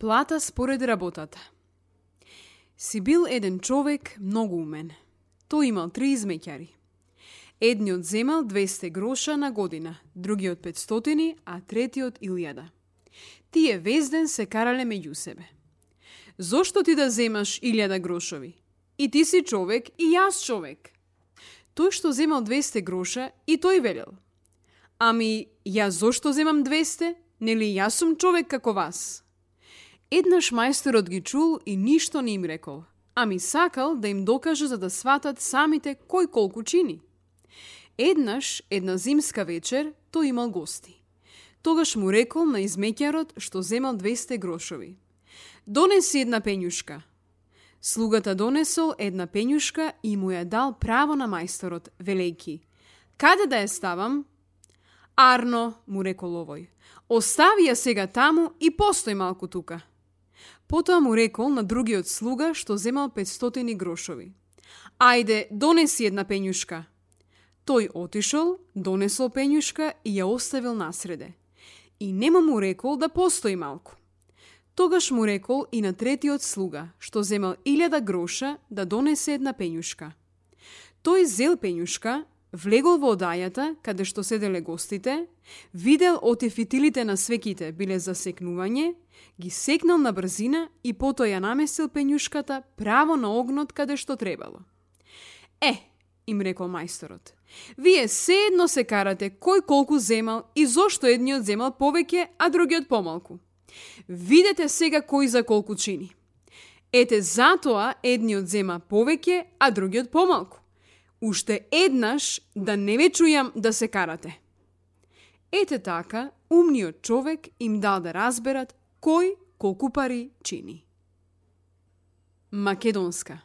Плата според работата. Си бил еден човек многу умен. Тој имал 3 измеќари. Едниот земал 200 гроша на година, другиот 500, а третиот 1000. Тие везден се карале меѓу себе. Зошто ти да земаш 1000 грошови? И ти си човек, и јас човек. Тој што земал 200 гроша, и тој велел: Ами, јас зошто земам 200? Нели јас сум човек како вас? Еднаш мајсторот ги чул и ништо не им рекол, ами сакал да им докаже за да сватат самите кој колку чини. Еднаш, една зимска вечер, тој имал гости. Тогаш му рекол на измеќарот што земал 200 грошови: Донеси една пењушка. Слугата донесол една пењушка и му ја дал право на мајсторот, велејки: Каде да ја ставам? Арно, му рекол овој, остави ја сега таму и постој малку тука. Потоа му рекол на другиот слуга што земал 500 грошови: Ајде, донеси една пењушка. Тој отишол, донесол пењушка и ја оставил насреде. И нема му рекол да постои малку. Тогаш му рекол и на третиот слуга, што земал 1000 гроша, да донесе една пењушка. Тој зел пењушка, влегол во одајата, каде што седеле гостите, видел оти фитилите на свеките биле за секнување, ги секнал на брзина и потоа ја наместил пењушката право на огнот каде што требало. Им рекол мајсторот, вие седно се карате кој колку земал и зошто едниот земал повеќе, а другиот помалку. Видете сега кој за колку чини. Ете затоа едниот зема повеќе, а другиот помалку. Уште еднаш да не ве чујам да се карате. Ете така, умниот човек им дал да разберат кој колку пари чини. Македонска.